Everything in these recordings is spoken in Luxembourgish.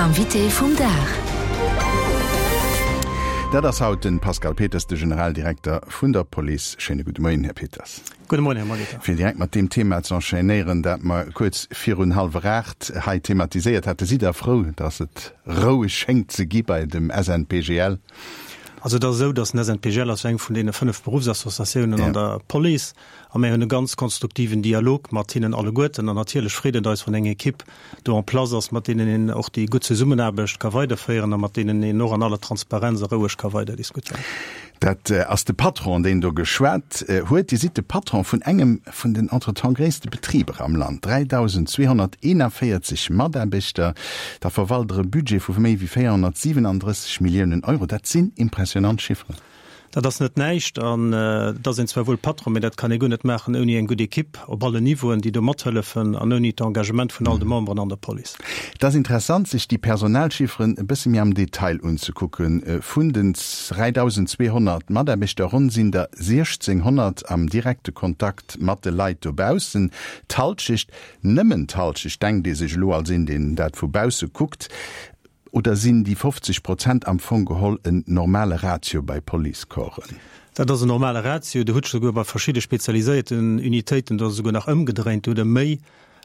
Invité vum Dag. Dat ass haut de Pascal Peters, de Generaldirekter vun der Police. Schéine gudde Moien, Här Peters. Gudde Moien, Här Molitor. Fir direkt mat deem Thema ze enchaînéieren, dat mer kuerz virun hallwer 8 hei thematiséiert haten, Sidd Der frou, datt et roueg schéngt ze gi bei dem SNPGL? Also et ass esou, datt den SNPGL ass jo eng vun deene 5 Beruffsassociatiounen an der Police a mir hunn e ganz konstruktiven Dialog mat hinnen alleguerten an natierlech freet et eis, wann eng Ekipp do en place ass, mat deenen een och déi gutt Zesummenaarbecht ka weiderféieren a mat deenen een och an aller Transparenz a roueg ka weider diskutéieren. Dat ass de Patron, deen do geschwat huet. Dir sidd de Patron vun engem vun den entretemps gréisste Betriber am Land, 3.241 Mataarbechter. Der verwalt Der e Budget vu méi wéi 437 Milliounen Euro. Dat sinn impressionant Chifferen. Dat ass net näischt an et ass een zwar wuel Patron, mee dat kann ee guer net maachen ouni eng gutt Ekipp op allen Niveauen, déi do mathëllefen an ouni d'Engagement vun all de Memberen an der Police. Et ass interessant, sech déi Personalchifferen e bësse méi am Detail unzekucken. Vun den 3.200 Mataarbechter, ronn sinn der 1.600 am direkte Kontakt mat de Leit dobaussen. D'Halschecht, nëmmen d'Halschecht, denkt ee sech elo als een, deen dat vu bausse kuckt, Oder sinn déi 50 Prozent am Fong geholl en normale Ratio bei Policecorpsen? Dat ass en normale Ratio. Do hutt souguer bei verschidde spezialiséierten Unitéiten, do ass et souguer nach ëmgedréint, do hutt Der méi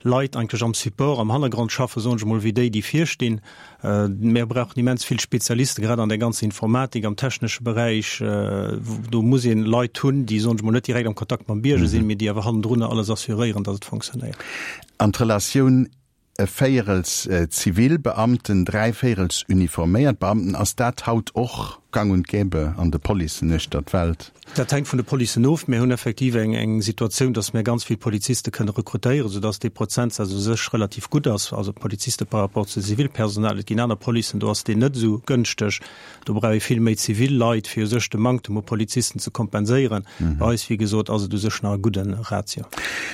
Leit eigentlech am Support, am Hannergrond schaffen, soen ech emol, wéi déi, déi vir stinn. Mir brauchen immens vill Spezialisten, grad an der ganzer Informatik, am technesche Beräich. Do muss ee Leit hunn, déi, soen ech emol, net direkt am Kontakt mam Bierger sinn, mee déi awer hannendrunner alles assuréieren, datt et funktionéiert. An d'Relatioun E Véierels Zivilbeamten, dräivéierels uniforméiert Beamten. Ass dat haut och gang und gäbe an de Policen uechter d'Welt? Dat hänkt vun de Policen of. Mir hunn effektiv eng Situatioun, datt mir ganz vill Poliziste kënne rekrutéieren, soudatt dee Prozentsaz u sech relativ gutt ass, also Poliziste par rapport zu Zivilpersonal. Et ginn aner Policen, do ass deen net esou gënschteg. Do brauch ee vill méi zivil Leit, fir u sech de Manktem u Polizisten ze kompenséieren. Bei eis, wéi gesot, ass et u sech nach e gudde Ratio.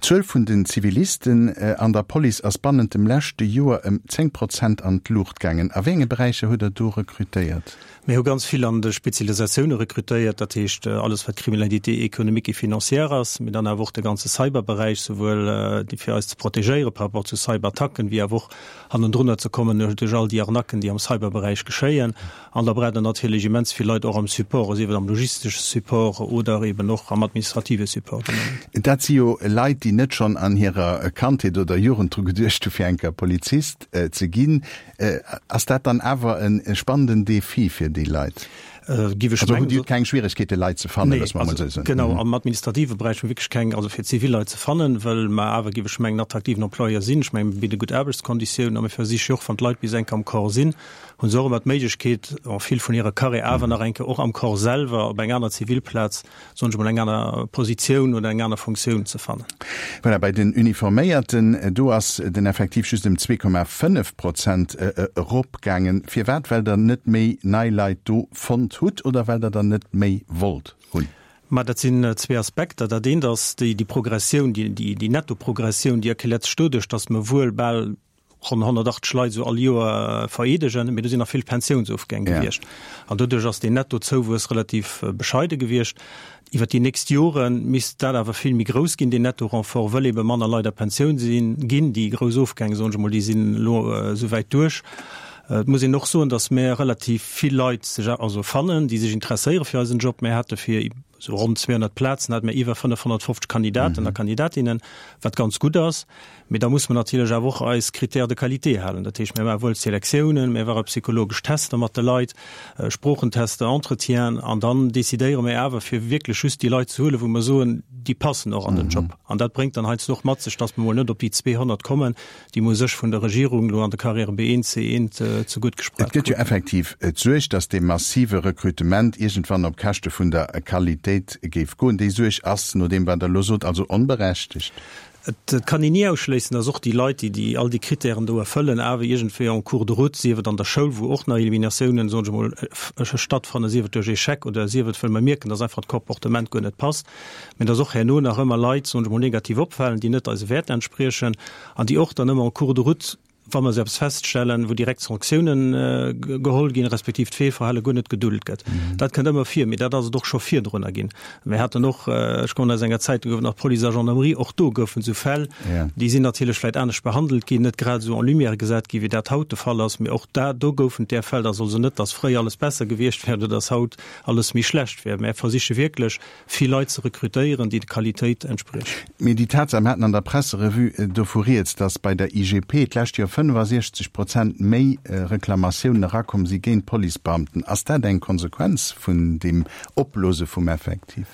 D'Zuel vun den Zivilisten an der Police ass bannent dem leschte Joer ëm 10 Prozent an d'Luucht gaangen. A wéi enge Beräicher hutt Der do rekrutéiert? Mir hu ganz vill an de Spezialisatioune rekrutéiert, dat heescht alles wat Criminalité économique et financière ass, mee dann awer och de ganze Cyberberäich, souwuel déi fir eis ze protegéiere par rapport zu Cyberattacken, wéi awer och hannendrunner ze kommen duerch all déi Arnaquen, déi am Cyberberäich geschéien. An da braucht Der natierlech immens vill Leit och am Support, sief et am logistesche Support oder eben och am administrative Support. Dat si jo Leit, déi net schonn an hirer Kandheet oder Jugend dru geduecht hu fir eng Kéier Polizist ze ginn. Ass dat dann awer e spannenden Defi fir déi Leit? Giff ech mengen. Also hutt Dir keng Schwieregkeete Leit ze fannen, loosse mer emol esou soen. Genau, am administrative Beräich hu mir wierklech keng, also fir zivil Leit ze fannen, well mer awer, giff ech mengen, attraktiven Employeur sinn. Ech mengen, mir bidde gutt Aarbechtskonditiounen a mir versiche jo och, wann d'Leit bis eng Kéier am Corps sinn, hu se och ëmmer d'Méiglechkeet, en vill vun hirer Carrière awer nach eng Kéier och am Corps selwer op eng aner Zivilplaz soen ech emol, eng aner Positioun oder eng aner Funktioun ze fannen. Voilà, bei den Uniforméierten, do ass den Effektiv just ëm 2,5 Prozent eropgaangen. Firwat? Well Der net méi nei Leit do fonnt hutt oder well Der der net méi wollt hunn? Ma dat sinn zwee Aspekter. Dat eent ass déi Progressioun, déi Nettoprogressioun, déi erkläert sech doduerch, datt mer wuel bal ronn 180 Leit esou all Joer vereedegen, mee do sinn nach vill Pensiounsofgäng gewiescht. An doduerch ass deen Nettozouwuess relativ bescheide gewiescht. Iwwer déi nächst Jore misst dat awer vill méi grouss ginn, deen Netto-Renfort, wëll ebe manner Leit a Pensioun sinn ginn. Déi grouss Ofgäng, soen ech emol, déi sinn elo esouwäit duerch. Et muss een och soen, datt mir relativ vill Leit sech also fannen, déi sech interesséiere fir eisen Job. Mir hate fir esou ronn 200 Plazen hate mir iwwer 550 Kandidaten a Kandidatinnen, wat ganz gutt ass. Mee da muss mer natierlech awer och eis Critères de qualité halen. Dat heescht, mir maache wuel Selektiounen, mir maache psychologesch Tester mat de Leit, Sproochentester, Entretienen, an dann decidéiere mir awer, fir wierklech just déi Leit ze huelen, wou mer soen, déi passen och an den Job. An dat bréngt dann heiansdo och mat sech, dass mer mol net op déi 200 kommen, déi mer u sech vun der Regierung elo an de Carrièrë B1, C1 ze gutt gesprach Et gëtt jo effektiv d'Suerg, dass dee massive Recrutement iergendwann op Käschte vun der Qualitéit géif goen. Déi Suerg ass, no deem wat Der elo sot, also onberechtegt? Et kann een ni ausschléissen, dass och déi Leit, déi déi all déi Kritären do erfëllen, awer iergendwéi en cours de route, sief et an der Schoul, wou och nach Eliminatiounen, soen ech emol, stattfannen, sief et duerch Échec oder sief et, wëll mer mierken, dass einfach d'Comportement guer net passt, mä dass och herno nach ëmmer Leit, soen ech emol, negativ opfalen, déi net eise Wäerter entspriechen an déi och dann ëmmer en cours de route. Wa mer esou eppes feststellen, wou direkt Sanktiounen geholl ginn, respektiv d'Feelverhale guer net gedult gëtt. Dat kënnt ëmmer vir, mee dat ass et och scho virdrunner ginn. Mir haten och, ech kommen aus enger Zäit, do gouf et nach Police a Gendarmerie, och do goufen esou Fäll, déi sinn natierlech vläicht anescht behandelt ginn, net grad esou en lumière gesat ginn, wéi dat haut de Fall ass, mee och da, do goufen et där Fäll. Dat ass also net, datt fréier alles besser gewiescht wär oder datt haut alles méi schlecht wär. Mä versiche wierklech, vill Leit ze rekrutéieren, déi de Qualitéit entspriechen. Mee déi Tatsaach, mir haten an der Presserevue dovu rieds, datt bei der IGP d'lescht Joer 65 Prozent méi Reklamatiounen erakomm si géint Policebeamten, ass dat eng Konsequenz vun deem Opblose vum Effektiv?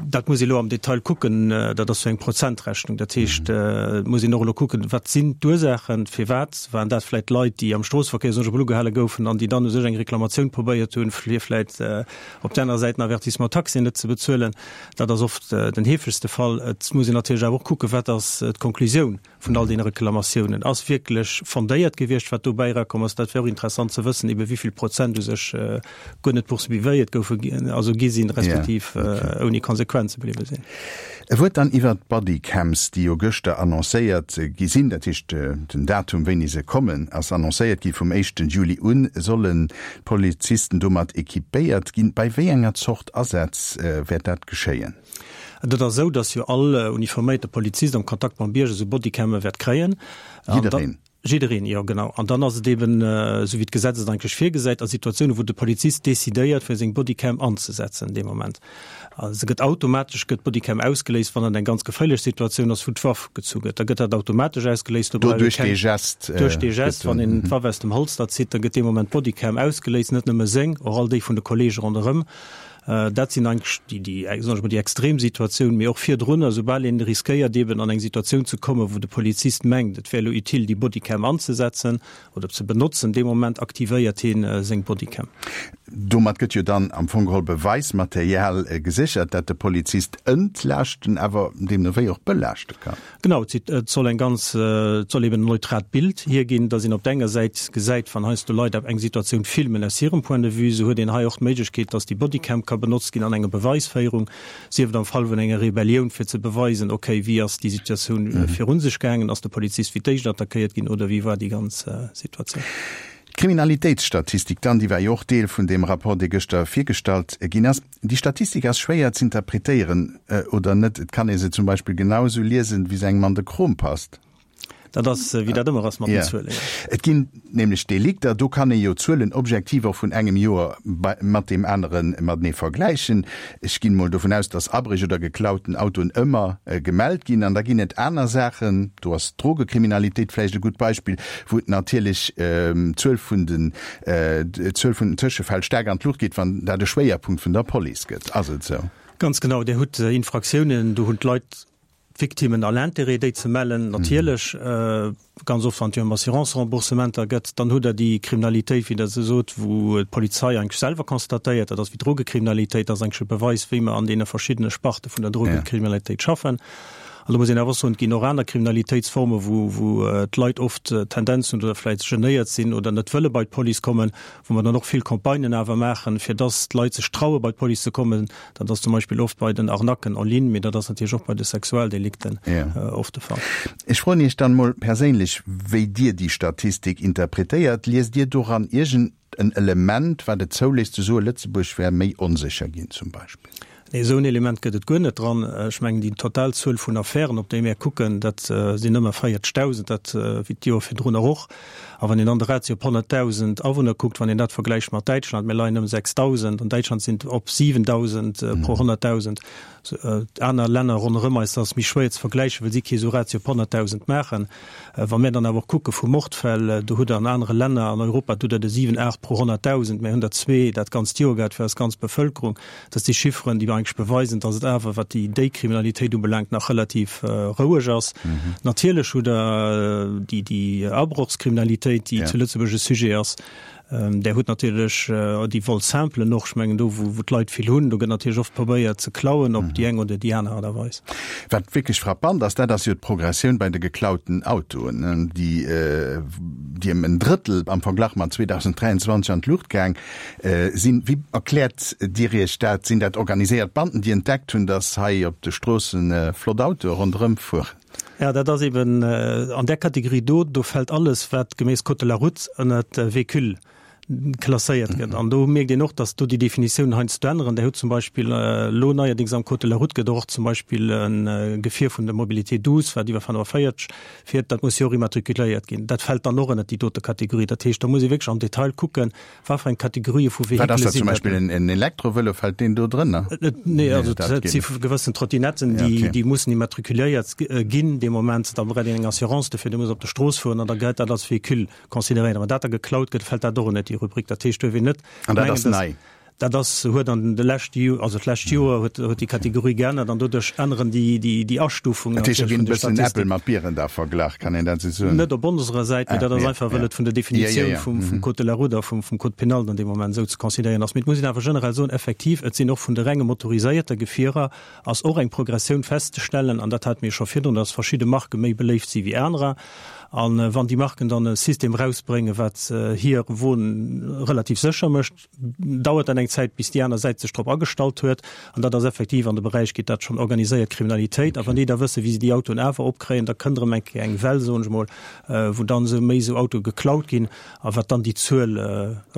Dat muss ee elo am Detail kucken. Dat ass jo eng Prozentrechnung. Dat heescht, et muss een och elo kucken, wat sinn d'Ursaachen, firwat waren dat vläicht Leit, déi am Stroossverkéier soen ech emol ugehale goufen an déi dann u sech eng Reklamatioun probéiert hunn, fir vläicht Op der anerer Säit den Avertissement taxé net ze bezuelen, dat ass oft den heefegste Fall. Et muss een natierlech awer och kucken, wat ass d'Konklusioun vun all deene Reklamatiounen. Ass wierklech fondéiert gewiescht, wat dobäi erakomm ass? Dat wär och interessant ze wëssen, ebe wéi vill Prozent u sech guer net poursuivéiert goufen, also gi sinn, respektiv ouni Konsequenze bliwwe sinn. E Wuert dann iwwert d'Bodycams, déi jo gëschter annoncéiert gi sinn. Dat heescht, den Datum, wéini se kommen, ass annoncéiert gi. Vum éischten Juli un sollen d'Polizisten domat equipéiert ginn. Bei wéi enger Zort Asätz wäert dat geschéien? Et ass esou, datt jo all uniforméierte Polizist am Kontakt mam Bierger esou Bodycamme wäert kréien. Jiddereen? Jiddereen, jo genau. An dann ass et eben, esou wéi d'Gesetz et eigentlech virgesäit, a Situatiounen, wou de Polizist decidéiert, fir seng Bodycam anzesetzen dee Moment. Se gëtt automatesch gëtt d'Bodycam ausgeléist, wann et eng ganz geféierlech Situatioun ass, wou d'Waff gezu gëtt. Da gëtt dat automatesch ausgeléist. Do brauch ee keng. Duerch dee Gest. Duerch dee Gest, wann een d'Waff aus dem Holster zitt, da gëtt dee Moment d'Bodycam ausgeléist, net nëmme seng, och all déi vun de Kollege ronderëm. Dat sinn eigentlech déi, déi, soen ech mol, déi extrem Situatioun, mee och virdrunner, soubal een riskéiert eeben an eng Situatioun ze kommen, wou de Polizist mengt, et wär elo utile, déi Bodycam anzesetzen oder ze benotzen, dee Moment aktivéiert hie seng Bodycam. Domat gëtt jo dann am Fong geholl Beweismaterial geséchert, dat de Polizist entlaaschten, awer deemno wéi och belaaschte kann. Genau, et soll eng ganz, et soll eben en neutraalt Bild hierginn, dass een op der enger Säit gesäit, wann heiansdo Leit eng Situatioun filmen aus hirem Point de vue, esou huet een hei och d'Méiglechkeet, dass déi Bodycam ka benotzt ginn an enger Beweisféierung, sief et am Fall vun enger Rebellioun, fir ze beweisen, okay, wéi ass déi Situatioun virun sech gaangen, ass de Polizist fir d'éischt attackéiert ginn oder wéi war déi ganz Situatioun. D'Kriminalitéitsstatistik dann, déi war jo och Deel vun deem Rapport, dee gëschter virgestallt ginn ass. Déi Statistik ass schwéier z'interpretéieren, oder net? Et kann ee se zum Beispill genau esou liesen, wéi se engem an de Krom passt. Dat ass, wéi dat ëmmer ass mat den Zuelen, jo. Et ginn nämlech Delikter, do kann ee jo d'Zuelen objektiv och vun engem Joer mat deem anere matenee vergläichen. Ech ginn emol dovun aus, dass Abréch oder geklauten Autoen ëmmer gemellt ginn. An da ginn et aner Saachen, do ass d'Drogekriminalitéit vläicht e gutt Beispill, wou et natierlech d'Zuel vun den d'Zuel vun den Tëschefäll staark an d'Luucht geet, wann dat e Schwéierpunkt vun der Police gëtt. Ass et esou? Ganz genau. Dir hutt Infraktiounen, do hunn d'Leit, d'Victimmen all Intérêt, déi ze mellen, natierlech. Ganz oft, wann et jo ëm Assurance-Remboursementer gëtt. Dann hutt Der déi Kriminalitéit, wéi Der se sot, wou d'Polizei eigentlech selwer constatéiert, dat ass wéi d'Drogekriminalitéit, dat ass eigentlech e Beweis, wéi mer an deene verschiddene Sparte vun der Drogekriminalitéit schaffen. An do muss een awer och soen, et ginn och aner Kriminalitéitsformen, wou, wou d'Leit oft d'Tendenz hunn oder vläicht genéiert sinn oder net wëlle bei d'Police kommen, wou mer dann och vill Campagnen awer maachen, fir dass d'Leit sech traue bei d'Police ze kommen. Dat ass zum Beispill oft bei den Arnaquen en ligne, mee dat ass natierlech och bei de Sexualdelikten oft de Fall. Ech froen Iech dann emol perséinlech, wéi Dir déi Statistik interpretéiert. Liest Dir doran iergend en Element, wat et zouléisst ze soen, Lëtzebuerg wär méi onsécher ginn zum Beispill? Nee, esou en Element gëtt et guer net dran. Ech mengen, déi total Zuel vun Affären, op déi mär kucken, dat sinn ëmmer 40.000, dat wéi d'Joer virdrunner och. A wann een dann de Ratio op 100.000 Awunner kuckt, wann een dat vergläicht mat Däitschland, mir leien ëm 6.000, an Däitschland sinn et op 7.000 pro 100.000. Aner Länner ronderëm eis, dat ass méi schwéier ze vergläichen, well si kee sou Ratio op 100.000 maachen. Wa mir dann awer och kucke vu Mordfäll, do hutt Der an anere Länner an Europa, do hutt Der de 7, 8 pro 100.000, mir hunn der zwee dat ganzt Joer gehat fir eis ganz Bevëlkerung. Dat si Chifferen, déi eigentlech beweisen, datt et awer, wat déi déi Kriminalitéit ubelaangt, nach relativ roueg ass. Natierlech hutt Der déi déi Abrochskriminalitéit, déi zu Lëtzebuerg e Sujet ass. Där hutt natierlech déi Vol-simplen och. Ech mengen do, wou d'Leit vill hunn, do gëtt natierlech oft probéiert ze klauen op déi eng oder déi aner Aart a Weis. Wat wierklech frappant ass, dat ass jo d'Progressioun bei de geklauten Autoen, déi. déi ëm en Drëttel am Verglach mat 2023 an d'Luucht gaang sinn. Wéi erkläert Dir Iech dat? Sinn dat organiséiert Banden, déi entdeckt hunn, datt hei op de Stroosse flott Autoe ronderëm fueren? Jo, dat ass eben an där Kategorie do, do fält alles, wat geméiss Code de la route ënnert Véhicule klasséiert gëtt. An do mierkt een och, datt do déi Definitiounen heiansdo änneren. Där hutt zum Beispill elo neierdéngs am Code de la route gëtt och zum Beispill e Gefier vun der Mobilité douce, wat iwwer 45 fiert, dat muss jo och immatrikuléiert ginn. Dat fält dann och ënnert déi dote Kategorie. Dat heescht, do muss ee wierklech am Detail kucken, wat fir eng Kategorië vu Wat ass Vehikele dat sinn zum dat. Beispill? En Elektrovëlo, fält deen do drënner? Nee, also dat si gewëssen Trottinetten, déi, déi mussen immatrikuléiert ginn dee Moment. Da brauch een eng Assurance dofir, déi muss op der Strooss fueren an da gëllt dat als Véhicule. Consideréieren. Wann dat da geklaut gëtt, fält dat och ënnert déi Rubrik. Dat heescht, duerf een net An dat ass nei? Dat ass, huet an de leschte Jo, also d'lescht Joer huet, huet déi Kategorie geännert an doduerch änneren déi, déi, déi Astufungen Dat heescht, da ginn e bëssen Äppel mat Bieren da verglach, kann een dat esou soen? Net op onserer Säit, mee dat ass einfach, well et vun der Definitioun vum, vum Code de la route a vum, vum Code pénal dann dee Moment esou ze consideréieren ass. Mee et muss een awer generell soen, effektiv, et sinn och vun de renge motoriséierte Gefierer ass och eng Progressioun festzestellen, an dat hate mir scho virdrun, dass verschidde Marke méi beléift si wéi anerer. A wann déi Marken dann e System erausbréngen, wat hir Won relativ sécher mécht, dauert dat eng Zäit, bis déi aner Säit sech drop agestallt huet. An dat ass effektiv, an de Beräich geet dat schonn organiséiert Kriminalitéit. A wann déi da wëssen, wéi se déi Autoen awer opkréien, da kënnt erëm eng Kéier eng Well, soen ech emol, wou dann esou méi esou Autoe geklaut ginn a wat dann déi Zuel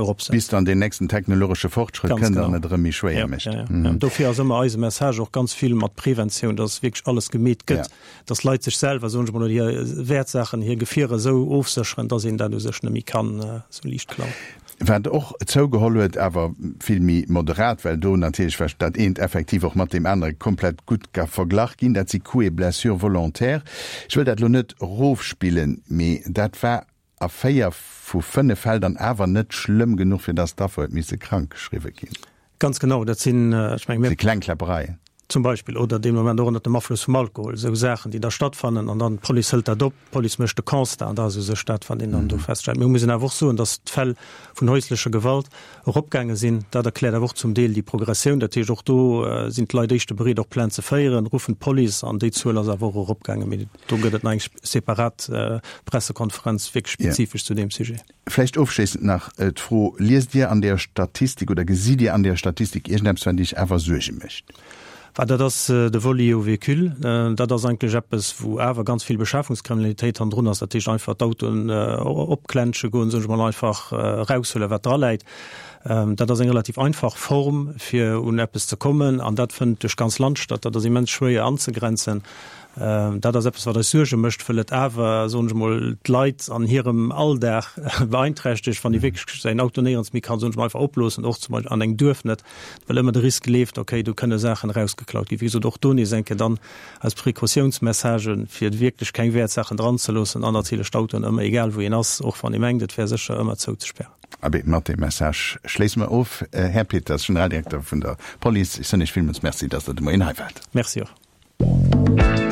eropsetzt. Bis dann deen nächsten technologesche Fortschrëtt kënnt an et erëm méi schwéier mécht. Ganz genau. Jo, jo. Dofir ass ëmmer eise Message och ganz vill mat Preventioun, dass wierklech alles gemeet gëtt. Dass Leit sech selwer, soen ech mol, oder hir Wäertsaachen, hir Gefierer esou ofsécheren, dass een dat u sech net méi kann esou liicht klauen. Wat och zougeholl huet, awer vill méi moderat, well do natierlech well dat eent effektiv och mat deem anere komplett gutt ka verglach ginn, dat si Coups et blessures volontaires. Ech wëll dat elo net erofspillen, mee dat war a 4 vu 5 Fäll dann awer net schlëmm genuch, fir dass d'Affer huet misse krankgeschriwwe ginn. Ganz genau, dat sinn, ech menge mir. Si kleng Kläppereien. Zum Beispill, oder dee Moment och ënnert dem Afloss vum Alkohol, esou Saachen, déi da stattfannen an dann d'Police hëlt dat op, d'Police mécht de Constat an da ass u sech dat, wat een dann do feststellt. Mir mussen awer och soen, dass d'Fäll vun häuslecher Gewalt eropgaange sinn. Dat erkläert awer och zum Deel déi Progressioun. Dat heescht, och do sinn d'Leit éischter bereet, och Plainte ze féieren, ruffen d'Police an déi Zuel ass awer och eropgaangen. Mee Do gëtt et nach eng separat Pressekonferenz wierklech spezifesch zu deem Sujet. Vläicht ofschléissend nach d'Fro, Liest Dir an där Statistik oder gesitt Dir an där Statistik iergendeppes, wat Iech awer Suerge mécht? Well dat ass de Vol lié au véhicule. Dat ass eigentlech eppes, wou awer ganz vill Beschafungskriminalitéit hannendrun ass. Dat heescht einfach d'Autoen opklensche goen, soen ech mol, einfach eraushuelen, wat draläit. Dat ass eng relativ einfach Form, fir un eppes ze kommen. An dat fënnt duerch d'ganz Land statt. Dat ass immens schwéier anzegrenzen. Dat ass eppes, wat eis Suerge mécht, wëll et awer, soen ech emol, d'Leit an hirem Alldag beeinträchtegt, wann ee wierklech säin Auto néierens méi kann, soen ech emol, einfach oploossen, och zum Beispill an engem Duerf net, well ëmmer de Risk leeft, okay, do kënne Saachen erausgeklaut ginn. Wéi gesot, och do nees eng Kéier dann eis Precautiounsmessagen, fir wierklech keng Wäertsaachen dranzeloossen an natierlech d'Autoen ëmmer, egal wou een ass, och wann ee mengt, et wär sécher, ëmmer zouzespären. Abee, mat deem Message schléisse mer of. Här Peters, Generaldirekter vun der Police, ech soen Iech villmools Merci, dass Der de Moien hei waart. Merci och.